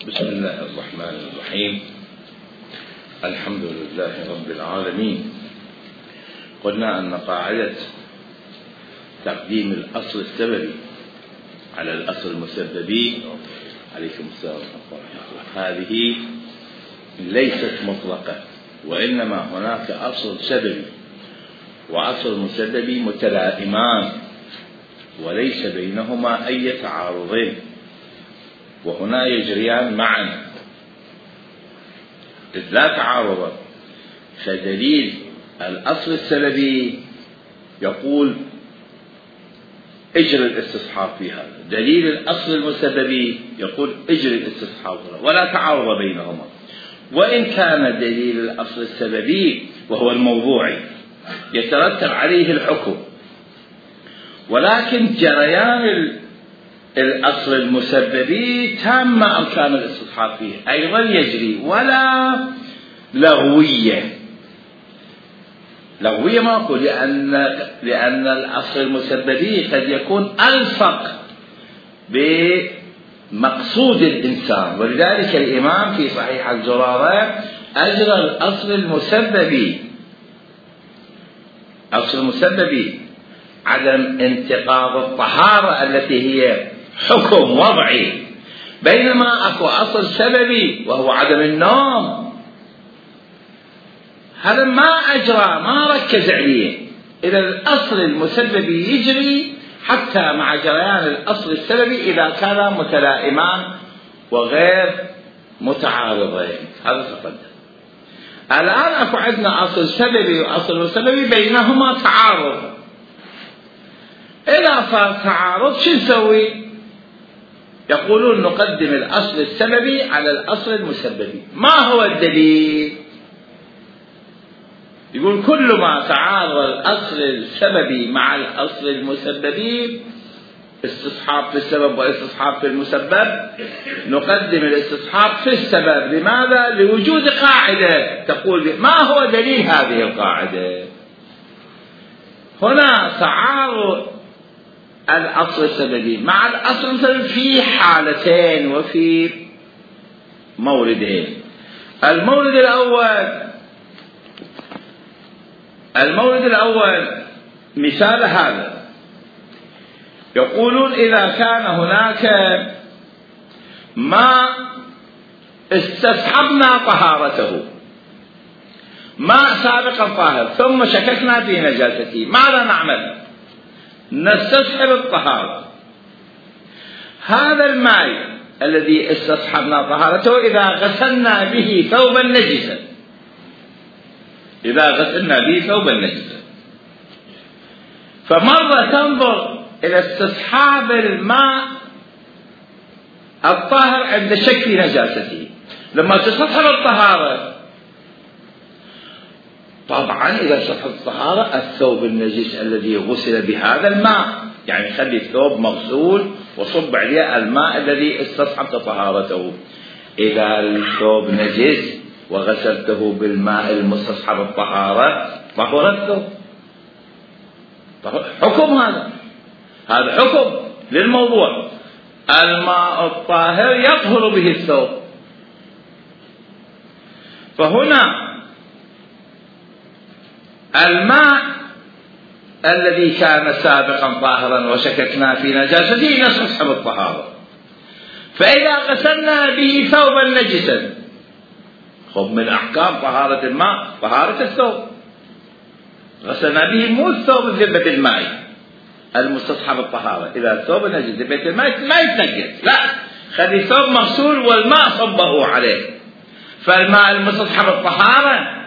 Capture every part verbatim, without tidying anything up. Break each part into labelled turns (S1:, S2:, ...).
S1: بسم الله الرحمن الرحيم. الحمد لله رب العالمين. قلنا أن قاعدة تقديم الأصل السببي على الأصل المسببي عليكم السلام هذه ليست مطلقة، وإنما هناك أصل سببي وأصل مسببي متلائمان وليس بينهما أي تعارض، وهنا يجريان معا إذ لا تعارض. فدليل الأصل السببي يقول اجري الاستصحاب في هذا، دليل الأصل المسببي يقول اجري الاستصحاب، ولا تعارض بينهما. وإن كان دليل الأصل السببي وهو الموضوعي يترتب عليه الحكم، ولكن جريان الأصل المسببي تام أركان الاستصحاب فيه أيضا يجري، ولا لغوية. لغوية ما أقول، لأن لأن الأصل المسببي قد يكون ألصق بمقصود الإنسان، ولذلك الإمام في صحيح الزرارة أجرى الأصل المسببي أصل المسببي عدم انتقاض الطهارة التي هي حكم وضعي، بينما أكو أصل سببي وهو عدم النوم، هذا ما أجرى ما ركز عليه. إذا الأصل المسببي يجري حتى مع جريان الأصل السببي إذا كان متلائمان وغير متعارضين. هذا تقدم. الآن أكو عندنا أصل سببي وأصل مسببي بينهما تعارض. إذا صار تعارض شو نسوي؟ يقولون نقدم الأصل السببي على الأصل المسببي. ما هو الدليل؟ يقول كل ما تعارض الأصل السببي مع الأصل المسببي، استصحاب في السبب واستصحاب في المسبب، نقدم الاستصحاب في السبب. لماذا؟ لوجود قاعدة تقول. ما هو دليل هذه القاعدة؟ هنا تعارض الأصل السببي مع الأصل المسببي في حالتين وفي موردين. المورد الأول المورد الأول مثال هذا، يقولون إذا كان هناك ما استصحبنا طهارته، ماء سابقا طاهر ثم شككنا في نجاسته، ماذا نعمل؟ نستصحب الطهارة. هذا الماء الذي استصحبنا طهارته إذا غسلنا به ثوبا نجسا إذا غسلنا به ثوبا نجسا فمرة تنظر إلى استصحاب الماء الطاهر عند شك في نجاسته. لما تستصحب الطهارة، طبعا إذا استصحب الطهارة الثوب النجس الذي غسل بهذا الماء، يعني خلي الثوب مغسول وصب عليه الماء الذي استصحبت طهارته. إذا الثوب نجس وغسلته بالماء المستصحب الطهارة طهر الثوب. حكم هذا هذا حكم للموضوع. الماء الطاهر يطهر به الثوب. فهنا الماء الذي كان سابقا طاهرا وشككنا في نجاسته نستصحب الطهارة. فإذا غسلنا به ثوبا نجسا، خب من أحكام طهارة الماء طهارة الثوب، غسلنا به مو الثوب ذبة الماء المستصحب الطهارة. إذا الثوب نجس ذبة الماء ما يتنجس، لا، خلي الثوب مغسول والماء صبه عليه. فالماء المستصحب الطهارة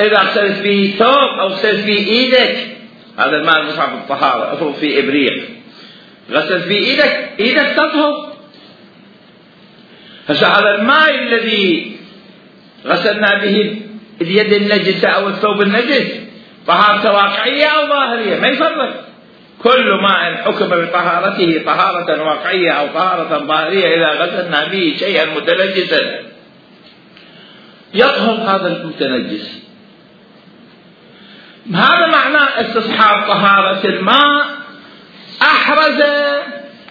S1: إذا غسلت به ثوب أو غسلت به إيدك، هذا الماء المستصحب الطهارة، افرض في إبريق غسلت به إيدك، إيدك تطهر. هسه هذا الماء الذي غسلنا به اليد النجسة أو الثوب النجس طهارة واقعية أو ظاهرية، ما يفرق. كل ماء حكم بطهارته طهارة واقعية أو طهارة ظاهرية إذا غسلنا به شيئا متنجسا يطهر هذا المتنجس. هذا معنى استصحاب طهارة الماء. أحرز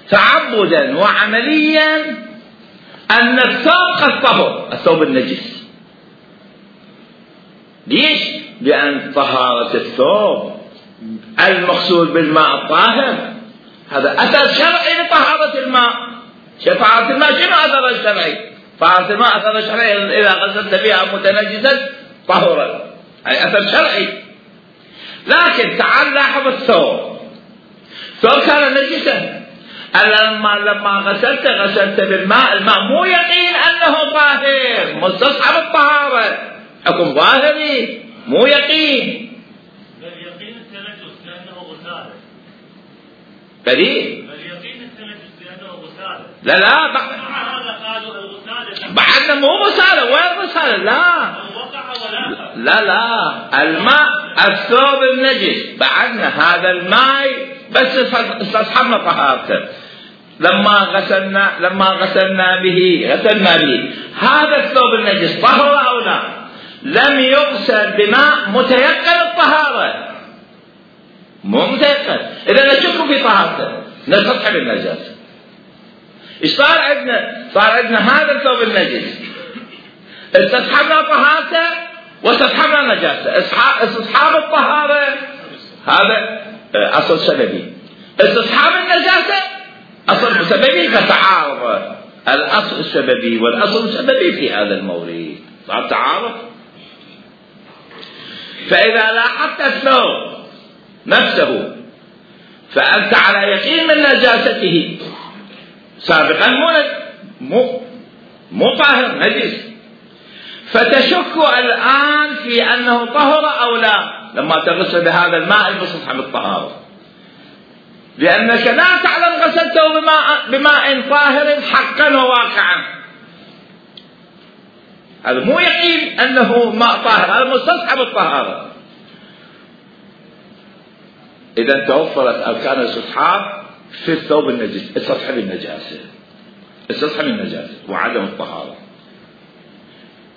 S1: تعبدا وعمليا أن الثوب قد طهر، الثوب النجس. ليش؟ لأن طهارة الثوب المقصود بالماء الطاهر هذا أثر شرعي لطهارة الماء. طهارة الماء شنو أثر الشرعي؟ طهارة الماء أثر شرعي إذا غسلت بها متنجسا طهرا، أي أثر شرعي. لكن تعال لاحظ الثوب، الثوب كان نجسا، لما لما غسلت غسلت بالماء، الماء مو يقين أنه طاهر، مستصحب الطهارة، حكم ظاهري مو يقين.
S2: اليقين التنجس لأنه غسالة.
S1: دليل؟
S2: اليقين التنجس لأنه غسالة.
S1: لا لا بعد
S2: هذا قالوا الغسالة
S1: بعدنا مو غسالة، وين غسالة؟ لا
S2: وقع ولا
S1: لا لا الماء الثوب النجس بعدنا هذا الماء بس استصحبنا طهارته لما غسلنا لما غسلنا به غسلنا به هذا الثوب النجس طهر أو لا؟ لم يغسل بماء متيقن الطهارة، مو متيقن، إذا نشك في طهارته نستصحب النجاسة. إيش صار عندنا؟ صار عندنا هذا الثوب النجس استصحبنا طهارته واستصحبنا نجاسة. استصحاب الطهارة هذا أصل سببي، استصحاب النجاسة أصل مسببي، فتعارض الأصل السببي والأصل السببي في هذا المورد، صار تعارض. فإذا لاحظت الثوب نفسه فأنت على يقين من نجاسته سابقا مو مو مو طاهر نجس، فتشك الآن في أنه طهر أو لا لما تغسل بهذا الماء المستصحب الطهارة، لأنك لا تعلم غسلته بماء, بماء طاهر حقا وواقعا. هذا مو يقين أنه ماء طاهر، هذا مستصحب الطهارة. إذا توفرت أركان الاستصحاب في الثوب النجس، استصحب النجاسة استصحب النجاسة وعدم الطهارة.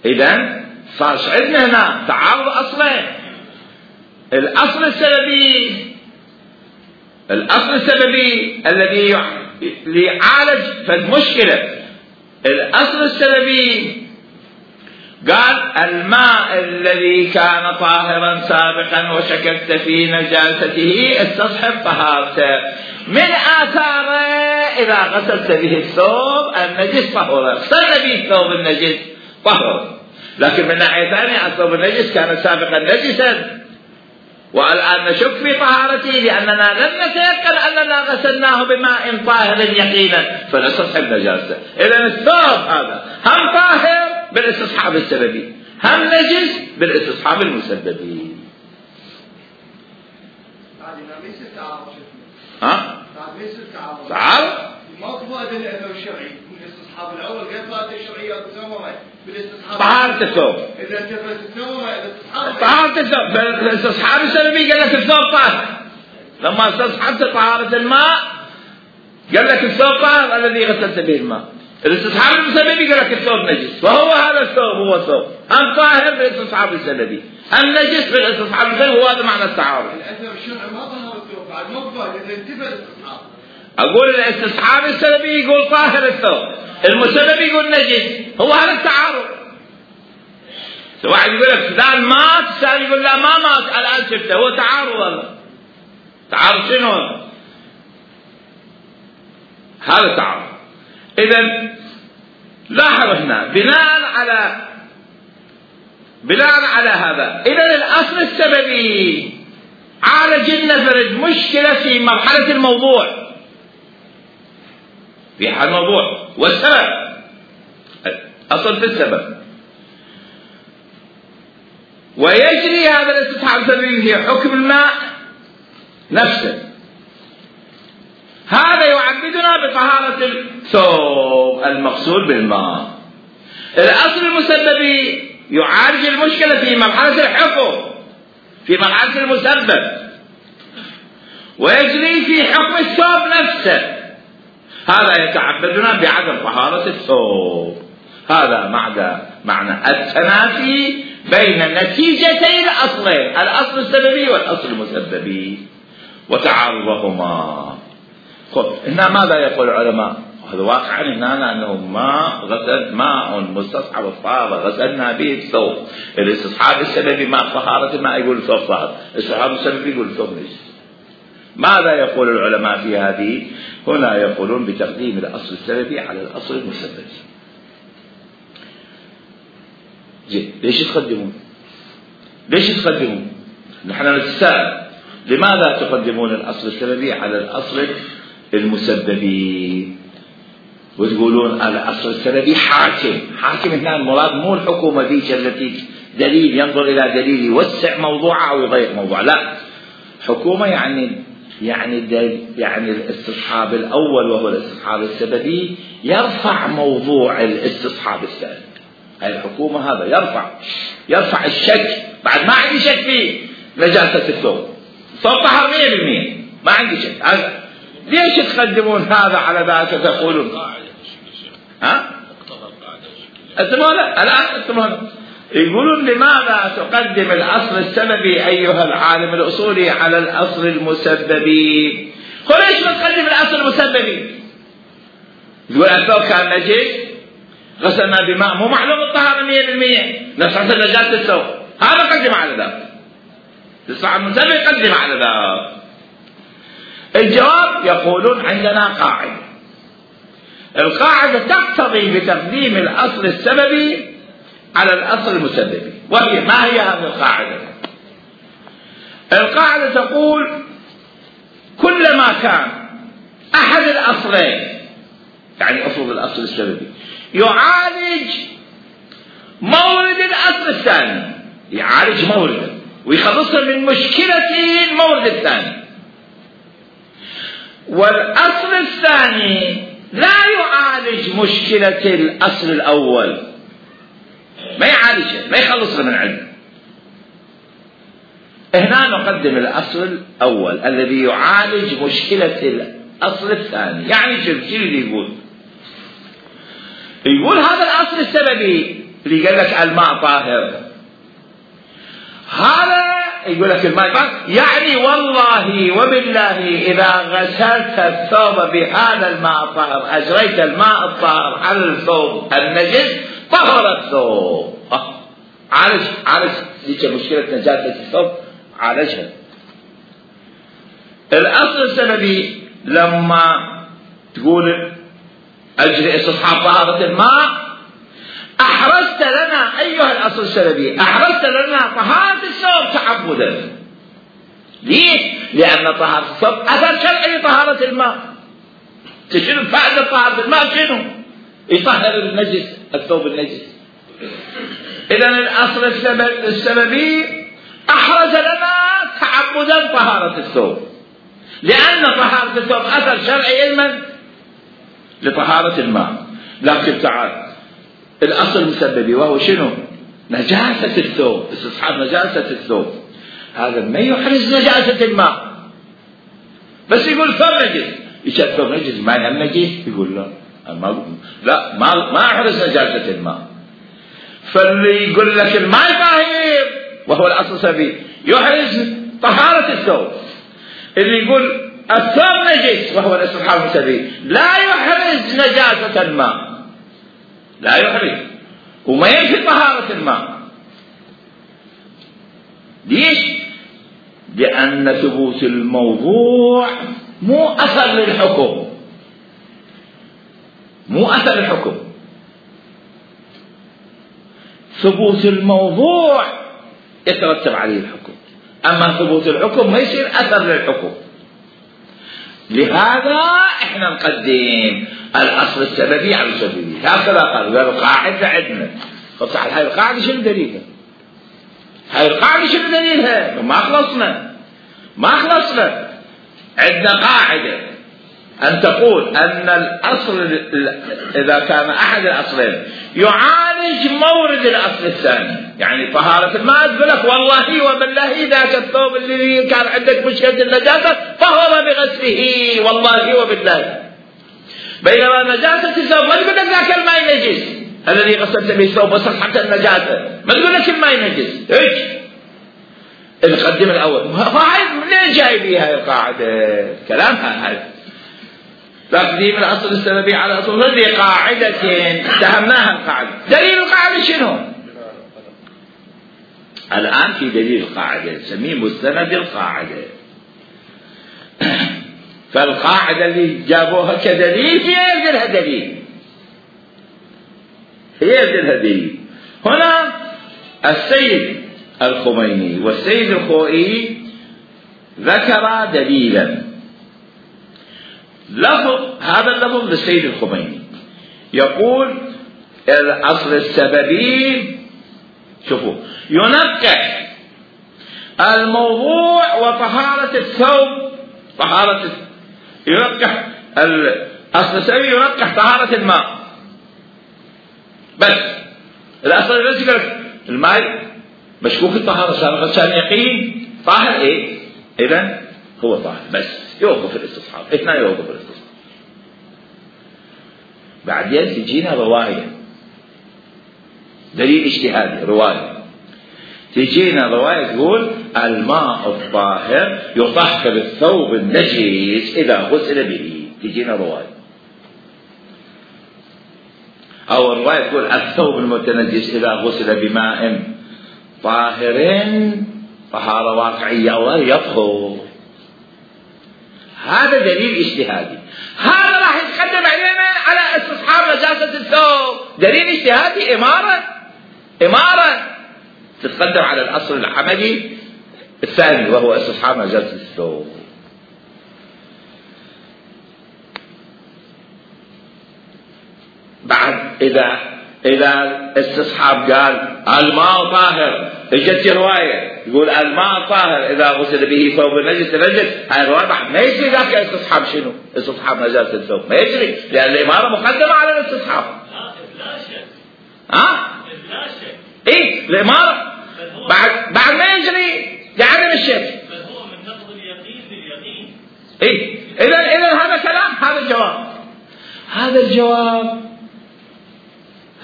S1: إذا صار عندنا هنا تعارض أصلين، الأصل السببي الأصل السببي الذي يعالج فالمشكلة، الأصل السببي قال الماء الذي كان طاهرا سابقا وشككت في نجاسته استصحب طهارته، من آثاره إذا غسلت به الثوب النجس طهر، غسلت به الثوب النجس طهر. لكن من ناحية ثانية الثوب النجس كان سابقا نجسا والآن نشك في طهارته لأننا لم نتيقن أننا غسلناه بماء طاهر يقينا فنستصحب نجاسته. إذن الثوب هذا هم طاهر بالاستصحاب السببي، هم نجس بالاستصحاب المسببي. ها؟ تعال
S3: ماكو أدلة أنه شرعي بالاستصحاب الأول غير فائدة الشرعية تسمى بالاستصحاب
S1: طهارة الثوب.
S3: إذا انتفت الثوب الاستصحاب
S1: طهارة الثوب بالاستصحاب السببي قال لك الثوب طاهر، لما استصحبت طهارة الماء قال لك الثوب طاهر الذي غسلت به الماء. الاستصحاب المسببي قال لك الثوب نجس، وهو هذا الثوب هو الثوب هم طاهر بالاستصحاب السببي هم نجس بالاستصحاب السببي، هو هذا معنى التعارض.
S3: الأثر الشرعي ما ظهر الثوب بعد مقبل إذا انتفت الاستصحاب.
S1: أقول الاستصحاب السببي يقول طاهر الثوب، المسبب يقول نجس، هو هذا التعارض. واحد يقول لك فلان مات، الثاني يقول لا ما مات الآن شفته، هو تعارض. والله تعارض شنو؟ هذا تعارض. إذن لاحظ هنا بناء على بناء على هذا إذن الأصل السببي عالج النفرج مشكلة في مرحلة الموضوع، في حال الموضوع والسبب أصل في السبب، ويجري هذا الاستصحاب السببي في حكم الماء نفسه. هذا يعبدنا بطهارة الثوب المغسول بالماء. الأصل المسببي يعالج المشكلة في مرحلة الحكم، في مرحلة المسبب، ويجري في حكم الثوب نفسه. هذا يتعبدنا بعدم طهارة الثوب. هذا معنى معنى التنافي بين نتيجتي الأصلين، الأصل السببي والأصل المسببي، وتعارضهما. خب هنا ماذا يقول العلماء؟ هذا واقعا هنا أنه ما غسل ماء مستصحب الطهارة غسلنا به الثوب. الاستصحاب السببي مع طهارة الماء يقول الثوب طاهر، الاستصحاب السببي يقول الثوب نجس. ماذا يقول العلماء في هذه؟ هنا يقولون بتقديم الأصل السببي على الأصل المسبب. جيد، ليش تقدمون؟ ليش تقدمون؟ نحن نتساءل لماذا تقدمون الأصل السببي على الأصل المسببي؟ وتقولون الأصل السببي حاكم. حاكم هنا المراد مو الحكومة ذيك التي دليل ينظر إلى دليل يوسع موضوعه أو يضيق موضوعه، لا، حكومة يعني يعني يعني الاستصحاب الأول وهو الاستصحاب السببي يرفع موضوع الاستصحاب الثاني. هاي الحكومة هذا يرفع يرفع الشك. بعد ما عندي شك في نجاسة الثوب، الثوب طهر مية بالمية، ما عندي شك. ليش تقدمون هذا على ذاك تقولون؟ ها؟ الآن الآن يقولون لماذا تقدم الأصل السببي أيها العالم الأصولي على الأصل المسببي؟ ليش ما تقدم الأصل المسببي؟ يقول الثوب كان نجس غسلنا بماء مو معلوم الطهارة مية بالمية، نفس نجاسة الثوب، هذا قدم على ذلك. الصحابة المسبب يقدم على ذلك. الجواب يقولون عندنا قاعدة، القاعدة تقتضي بتقديم الأصل السببي على الأصل المسببي، وهي ما هي هذه القاعدة؟ القاعدة تقول كلما كان أحد الأصلين، يعني أصل الأصل السببي، يعالج مورد الأصل الثاني، يعالج مورده ويخلصه من مشكلة المورد الثاني، والأصل الثاني لا يعالج مشكلة الأصل الأول، ما يعالجه، ما يخلصه من عنده. هنا نقدم الأصل الأول الذي يعالج مشكلة الأصل الثاني. يعني شو اللي يقول؟ يقول هذا الأصل السببي اللي قال لك الماء طاهر، هذا يقول لك الماء طاهر، يعني والله وبالله إذا غسلت الثوب بهذا الماء الطاهر، أجريت الماء الطاهر على الثوب النجس، طهر الثوب. عالج عالج ذيك مشكلة نجاسة الثوب، عالجها. الأصل السببي لما تقول أجري استصحاب طهارة الماء، أحرزت لنا أيها الأصل السببي، أحرزت لنا طهارة الثوب تعبدا. ليش؟ لأن طهارة الثوب أثر شرعي لطهارة الماء. شنو فائدة طهارة الماء؟ شنو؟ يطهر النجس، الثوب النجس. إذن الأصل السببي أحرز لنا تعبدا طهارة الثوب، لأن طهارة الثوب أثر شرعي لمن؟ لطهارة الماء. لكن تعال الأصل المسببي وهو شنو؟ نجاسة الثوب، استصحاب نجاسة الثوب، هذا ما يحرز نجاسة الماء، بس يقول ثوب نجس، إيش الثوب نجس؟ ما يهم نجس؟ يقول لا ما لا ما ما يحرز نجاسة الماء. فاللي يقول لك الماء طاهر وهو الأصل السببي يحرز طهارة الثوب، اللي يقول الثوب نجس وهو الاستصحاب السببي لا يحرز نجاسة الماء، لا يحرز وما ينفي طهارة الماء. ليش؟ لأن ثبوت الموضوع مو أثر للحكم، مو أثر للحكم. ثبوت الموضوع يترتب عليه الحكم، أما ثبوت الحكم ما يصير أثر للحكم. لهذا احنا نقدم الأصل السببي على السببي. هكذا قالوا، قالوا قاعدة عندنا. طب تعال هاي القاعدة شنو دليلها؟ هاي القاعدة شنو دليلها؟ ما خلصنا ما خلصنا عندنا قاعدة أن تقول أن الأصل إذا كان أحد الأصلين يعالج مورد الأصل الثاني، يعني طهارة الماء، تقول لك والله وبالله ذاك الثوب الذي كان عندك مشكلة النجاسة طهر بغسله، والله وبالله. بينما نجاسة الثوب ما تقول لك ذاك الماء نجس الذي غسلت به الثوب وصحت النجاسة، ما تقول لك الماء نجس. ايش؟ نقدم الأول. فهاي منين جاي بيها القاعدة؟ كلامها هاي تقديم الأصل السببي على أصل هذه قاعدة اتهمناها القاعدة. دليل القاعدة شنو؟ الآن في دليل القاعدة نسميه مستند القاعدة. فالقاعدة اللي جابوها كدليل هي يلزلها دليل، هي يلزلها دليل. هنا السيد الخميني والسيد الخوئي ذكر دليلا، لفظ هذا اللفظ للسيد الخميني يقول الأصل السببي، شوفوا، ينقح الموضوع وطهارة الثوب، طهارة ينقح الأصل السببي ينقح طهارة الماء بس. الأصل الذي يقول الماء مشكوك الطهارة سابقا كان يقين طاهر ايه؟ إذن هو طاهر بس يوقف الاستصحاب، اثنين يوقف الاستصحاب. بعدين تجينا رواية دليل اجتهادي، رواية تجينا رواية تقول الماء الطاهر يطهر الثوب النجس إذا غسل به. تجينا رواية أو الرواية تقول الثوب المتنجس إذا غسل بماء طاهر طهارة واقعية أو يطهر. هذا دليل اجتهادي، هذا راح يتقدم علينا على استصحاب نجاسة الثوب. دليل اجتهادي إمارة إمارة تتقدم على الأصل العملي الثاني وهو استصحاب نجاسة الثوب. بعد إذا إذا استصحاب قال الماء طاهر، اجت رواية يقول الماء طاهر إذا غسل به ثوب نجس نجس، هاي الرواية بعد ما يجري ذاك استصحاب شنو؟ استصحاب نجاسة الثوب ما يجري، لأن الإمارة مقدمة على الاستصحاب.
S2: لا شك.
S1: ها؟
S2: لا شك.
S1: إيه الإمارة بعد بعد ما يجري لعدم الشك.
S2: بل هو من نقض اليقين باليقين.
S1: إيه إذا إذا هذا كلام، هذا الجواب، هذا الجواب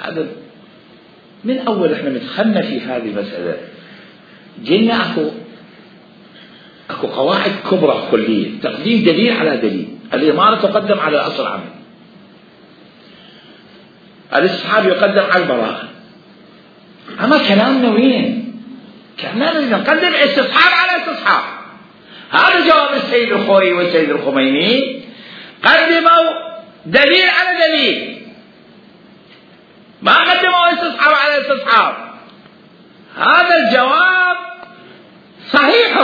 S1: هذا من أول إحنا مدخلنا في هذه المسألة جينا أكو أكو قواعد كبرى كلية، تقديم دليل على دليل. الإمارة تقدم على الأصل العمل، الاستصحاب يقدم على البراءة. أما كلامنا وين؟ كلامنا نقدم استصحاب على استصحاب. هذا جواب السيد الخوئي والسيد الخميني، قدموا دليل على دليل، ما قدموا استصحاب على استصحاب. هذا الجواب صحيح،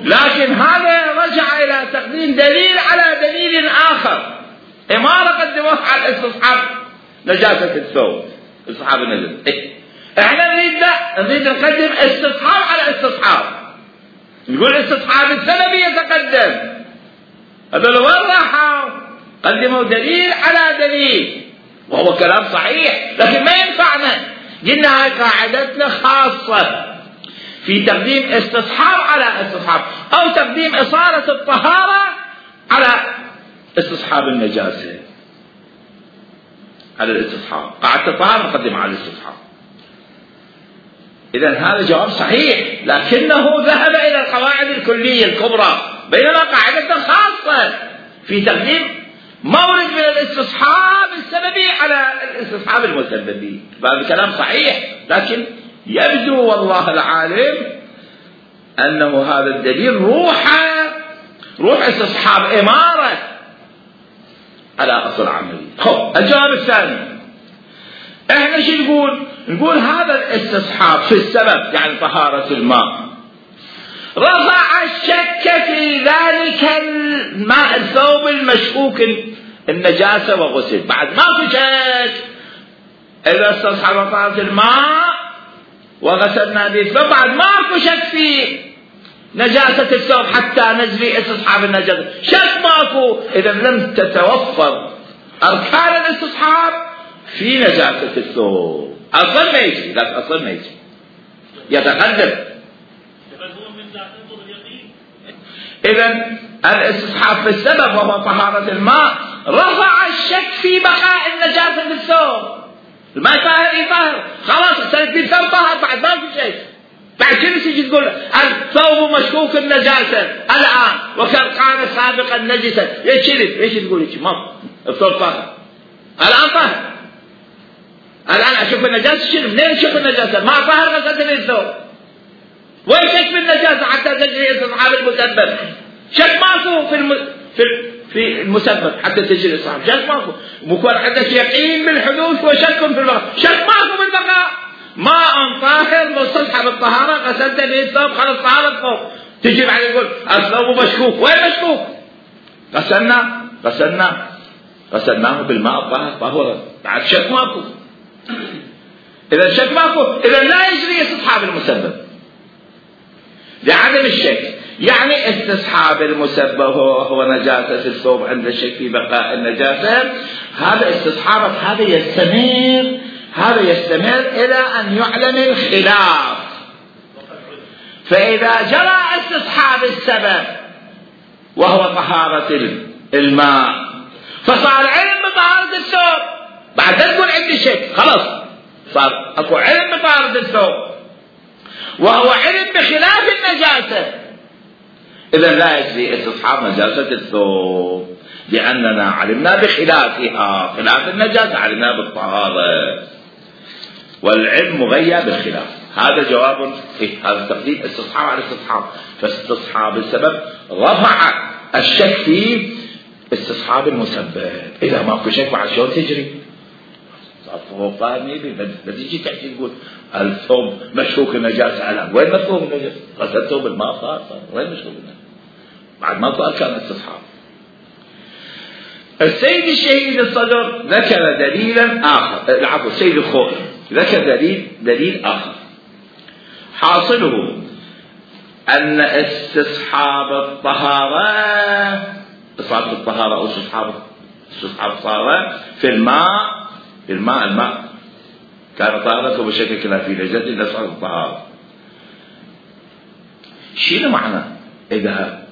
S1: لكن هذا رجع إلى تقديم دليل على دليل آخر. إمارة قدموه على الاستصحاب نجاسة الثوب، استصحاب النجاسة. إيه؟ احنا نريد لا نريد نقدم استصحاب على استصحاب، نقول استصحاب السببي يتقدم. هذول وين راحوا؟ قدموا دليل على دليل، وهو كلام صحيح، لكن ما ينفعنا. قلنا هاي قاعدتنا خاصة في تقديم استصحاب على استصحاب، أو تقديم إصالة الطهارة على استصحاب النجاسة، على الاستصحاب. قاعدة الطهارة نقدم على الاستصحاب. إذن هذا جواب صحيح، لكنه ذهب إلى القواعد الكلية الكبرى، بينما قاعدتنا خاصة في تقديم مورد من الاستصحاب السببي على الاستصحاب المسببي. هذا كلام صحيح، لكن يبدو والله العالم أنه هذا الدليل روح روح استصحاب إمارة على أصل عملي. خب الجواب الثاني، احنا شو نقول؟ نقول هذا الاستصحاب في السبب يعني طهارة الماء رفع الشك في ذلك الماء الثوب المشكوك النجاسة وغسل. بعد ما في شك، إذا استصحب طهارة الماء وغسلنا به الثوب بعد ما في شك في نجاسة الثوب حتى نجري استصحاب النجاسة، شك ماكو. إذا لم تتوفر أركان الاستصحاب في نجاسة الثوب. أصلا ما يجري، لا أصلا ما يجري، يتقدم. إذا الاستصحاب في السبب وهو طهارة الماء رفع الشك في بقاء النجاسة في الثوب. الماء طاهر يطهر، خلاص اختلف في الثوب طاهر بعد ما في شيء. بعد شنو تجي تقول الثوب مشكوك النجاسة الآن وكان كان سابقا نجسا؟ ليش ليش تقول هيك؟ ما الثوب طاهر الآن طاهر، الآن أشوف النجاسة شنو؟ منين أشوف النجاسة؟ ما طاهر غسلت لي الثوب. وين شك بالنجاسة حتى تجري استصحاب المسبب؟ شك ماكو في الم... في في المسبب حتى تجري استصحاب، شك ماكو. بكون عندك يقين بالحدوث وشك في البقاء، شك ماكو بالبقاء. ماء طاهر مستصحب الطهارة غسلت به الثوب خلص طهارة الثوب. تجي بعد يقول الثوب مشكوك، وين مشكوك؟ غسلنا غسلنا غسلناه بالماء الطاهر طهورا، بعد شك ماكو. إذا شك ماكو إذا لا يجري استصحاب المسبب لعدم الشك. يعني استصحاب المسبب هو, هو نجاسة الثوب عند الشك في بقاء النجاسة. هذا استصحاب هذا يستمر هذا يستمر إلى أن يعلم الخلاف. فإذا جرى استصحاب السبب وهو طهارة الماء فصار علم بطهارة الثوب، بعد تقول عندي شك خلاص صار أكو علم بطهارة الثوب وهو علم بخلاف النجاسة. إذا لا يجري استصحاب نجاسة الثوب لأننا علمنا بخلافها، خلاف النجاسة علمنا بالطهارة، والعلم مغير بالخلاف. هذا جواب إيه؟ هذا تقديم استصحاب على استصحاب. فاستصحاب السبب رفع الشك في استصحاب المسبب. إذا ماكو شك بعد شلون تجري؟ صار طاهر ميبي لا تجي تحكي تقول الثوب مشكوك النجاسة الآن، وين مشكوك النجاسة؟ غسلت ثوب الماء صار وين مشكوك النجاسة؟ بعد ما صار كان استصحاب. السيد الشهيد الصدر ذكر دليلا آخر، العفو السيد الخوئي ذكر دليل دليل آخر حاصله أن استصحاب الطهارة استصحاب الطهارة أو استصحاب استصحاب الطهارة في الماء في الماء الماء كان طهارته بشكل خلافي لجد استصحاب الطهارة. شنو معنى إذا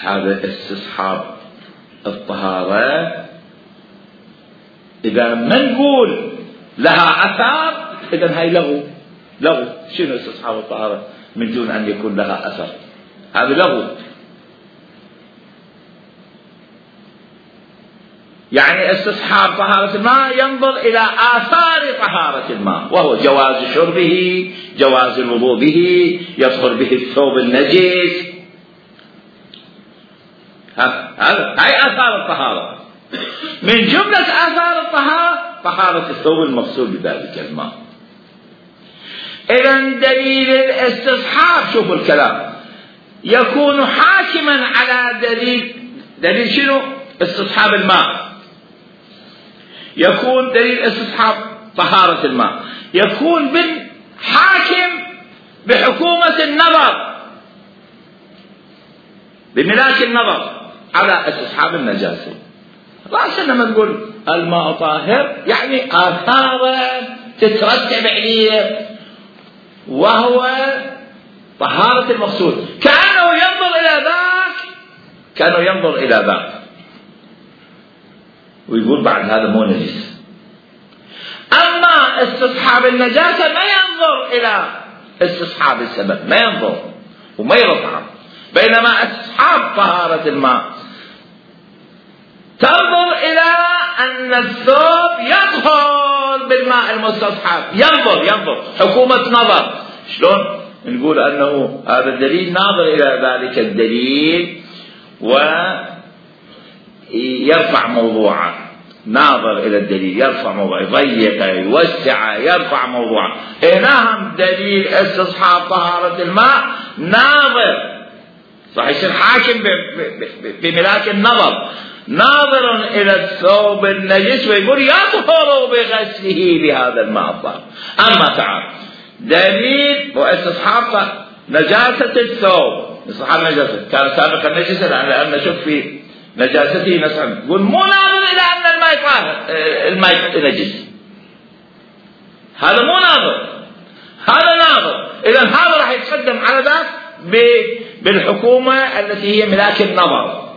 S1: هذا استصحاب الطهارة إذا ما نقول لها أثر إذا هاي لغو لغو. شنو استصحاب الطهارة من دون أن يكون لها أثر؟ هذا لغو. يعني استصحاب طهارة الماء ينظر إلى آثار طهارة الماء وهو جواز شربه، جواز الوضوء به، يطهر به الثوب النجس. هذا هاي آثار الطهارة. من جملة آثار الطهارة طهارة الثوب المغسول بذلك الماء. إذن دليل الاستصحاب شوفوا الكلام يكون حاكما على دليل دليل شنو؟ استصحاب الماء. يكون دليل استصحاب طهارة الماء يكون بالحاكم بحكومة النظر بملاك النظر على استصحاب النجاسة. رأسا لما نقول الماء طاهر يعني آثار تترتب عليه وهو طهارة المغسول، كأنه ينظر إلى ذاك كأنه ينظر إلى ذاك ويقول بعد هذا مو نجس. أما استصحاب النجاسة ما ينظر إلى استصحاب السبب، ما ينظر وما يرفع. بينما استصحاب طهارة الماء تنظر إلى أن الثوب يطهر بالماء المستصحب، ينظر ينظر حكومة نظر. شلون نقول أنه هذا الدليل ناظر إلى ذلك الدليل ويرفع موضوعه، ناظر إلى الدليل يرفع موضوعه، يضيق يوسع يرفع موضوعه. هنا دليل استصحاب طهارة الماء ناظر صح يصير حاكم بملاك النظر، ناظر إلى الثوب النجس ويقول يطهر بغسله بهذا الماء الطاهر. أما تعال دليل واستصحاب نجاسة الثوب، استصحاب نجاسة كان سابقا نجسا لأن نشوف في نجاسته نسعى، يقول مو ناظر إلى أن الماء طاهر الماء نجس، هذا مو ناظر، هذا ناظر. إذا هذا راح يتقدم على ذاك بالحكومة التي هي ملاك النظر.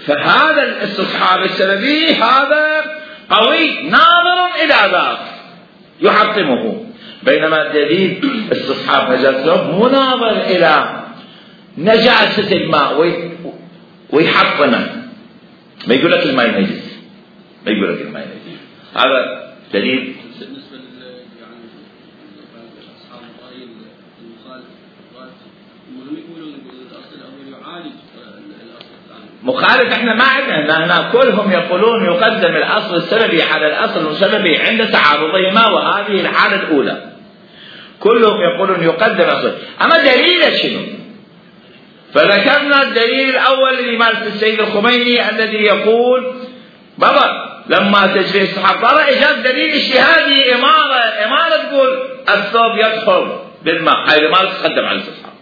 S1: فهذا الاستصحاب السببي هذا قوي ناظر إلى ذاك يحطمه. بينما الدليل استصحاب نجاسة الثوب مو ناظر إلى نجاسة الماء ويحطمه، ما يقول لك الماء نجس، ما يقول لك الماء نجس. هذا دليل.
S4: بالنسبة يعني أصحاب الرأي المخالف هم يقولون الأصل الأول يعالج الأصل الثاني.
S1: مخالف احنا ما عندنا هنا، كلهم يقولون يقدم الأصل السببي على الأصل المسببي عند تعارضهما، وهذه الحالة الأولى. كلهم يقولون يقدم أصل، أما دليل شنو؟ فذكرنا الدليل الأول الذي مالك السيد الخميني الذي يقول بابا لما تجري الصحابة ترى إجاب دليل اجتهادي إمارة إمارة تقول الثوب يطهر بالماء، هاي الإمارة تقدم على الاستصحاب.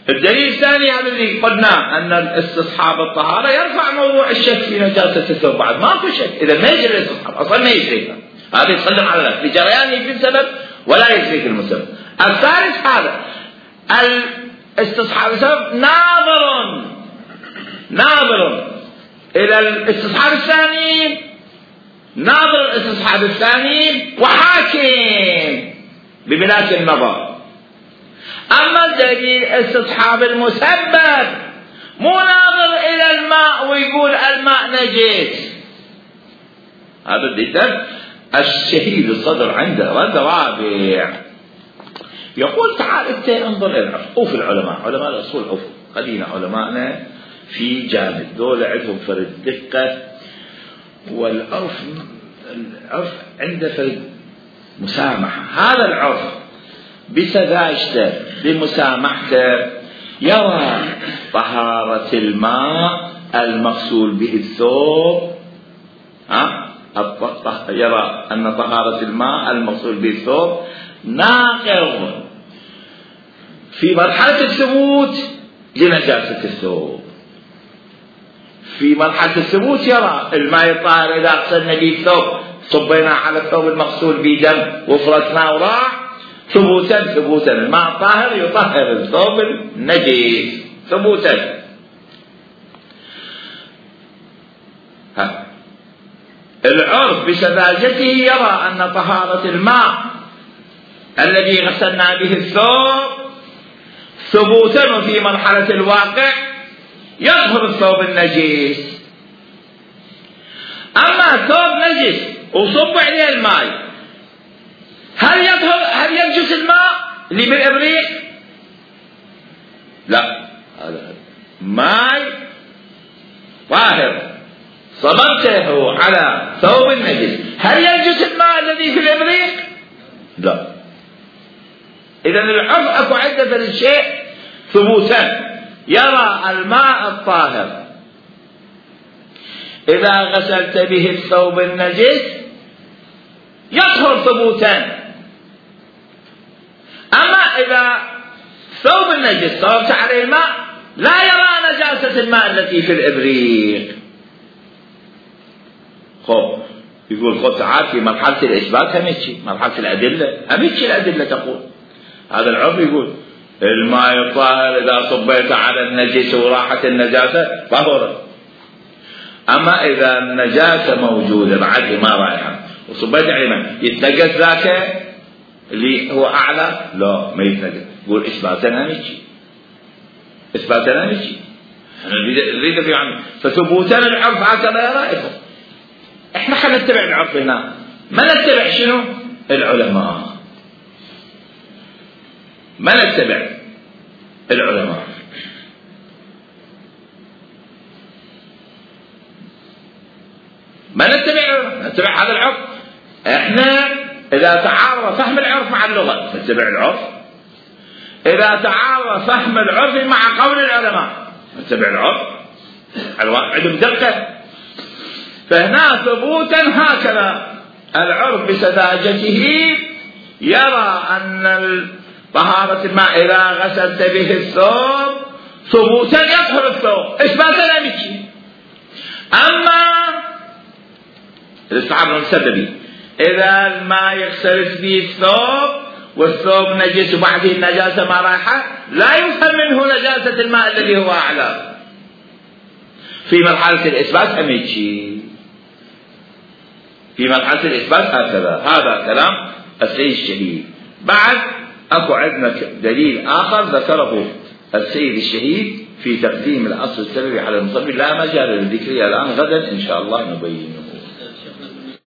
S1: الدليل الثاني هذا الذي قلنا أن الاستصحاب الطهارة يرفع موضوع الشك في نجاسة الثوب، بعد ماكو شك إذا ما يجري الاستصحاب أصلا ما يجري، هذا يتقدم على ذلك لجريانه في السبب ولا يجري في المسبب. الثالث هذا الاستصحاب السبب ناظر ناظر إلى الاستصحاب الثاني، ناظر الاستصحاب الثاني وحاكم بملاك النظر. أما الدليل استصحاب المسبب مو ناظر إلى الماء ويقول الماء نجس. هذا الدليل الشهيد الصدر عنده رد رابع يقول تعال انت انظر الى العرف. اوف العلماء علماء الاصول اوف خلينا علماءنا في جانب دول عندهم فرد دقه، والعرف العرف عنده فرد مسامحه. هذا العرف بسذاجته بمسامحته يرى طهاره الماء المغسول به الثوب، ها يرى أن طهارة الماء المغسول به الثوب ناقض في مرحلة الثبوت لنجاسة الثوب. في مرحلة الثبوت يرى الماء الطاهر إذا غسلنا به الثوب صبينا على الثوب المغسول به دم وفركناه وراح ثبوتا ثبوتا الماء الطاهر يطهر الثوب النجس ثبوتا. ها العرف بسذاجته يرى أن طهارة الماء الذي غسلنا به الثوب ثبوتا وفي مرحلة الواقع يطهر الثوب النجس. أما الثوب نجس وصب عليه الماء، هل يطهر هل ينجس الماء اللي بالإبريق؟ لا، هذا ماء طاهر صببته على ثوب النجس، هل ينجس الماء الذي في الإبريق؟ لا. إذا العرف أكو عنده الشيء ثبوتا يرى الماء الطاهر إذا غسلت به الثوب النجس يطهر ثبوتا. أما إذا ثوب النجس صببت عليه الماء لا يرى نجاسة الماء التي في الإبريق. خب يقول خب تعال في مرحلة الإثبات هميتشي مرحلة الأدلة هميتشي الأدلة تقول. هذا العرف يقول الماء الطاهر إذا صبيت على النجس وراحت النجاسة طهر. أما إذا النجاسة موجودة بعد ما رايحة وصبيت عليه ماء يتنقص ذاك اللي هو أعلى؟ لا ما يتنقص. يقول إثباتنا هميتشي إثباتنا هميتشي نريد في عنه. فثبوتنا العرف هكذا يرى. احنا خلينا نتبع العرف هنا، ما نتبع شنو؟ العلماء، ما نتبع العلماء. ما نتبع نتبع هذا العرف. احنا اذا تعارض فهم العرف مع اللغة نتبع العرف، اذا تعارض فهم العرف مع قول العلماء نتبع العرف. عندهم دقة. فهنا ثبوتا هكذا العرف بسذاجته يرى أن طهارة الماء إذا غسلت به الثوب ثبوتا يطهر الثوب إثباتا أمشي. أما الاستعارة المسببي إذا الماء يغسل به الثوب والثوب نجس وبعده النجاسة ما رايحة لا يفهم منه نجاسة الماء الذي هو أعلى. في مرحلة الإثبات أمشي، في مرحلة الإثبات هكذا. هذا كلام السيد الشهيد بعد اكو عندنا دليل اخر ذكره السيد الشهيد في تقديم الاصل السببي على المصلي، لا مجال للذكر الان، غدا ان شاء الله نبينه.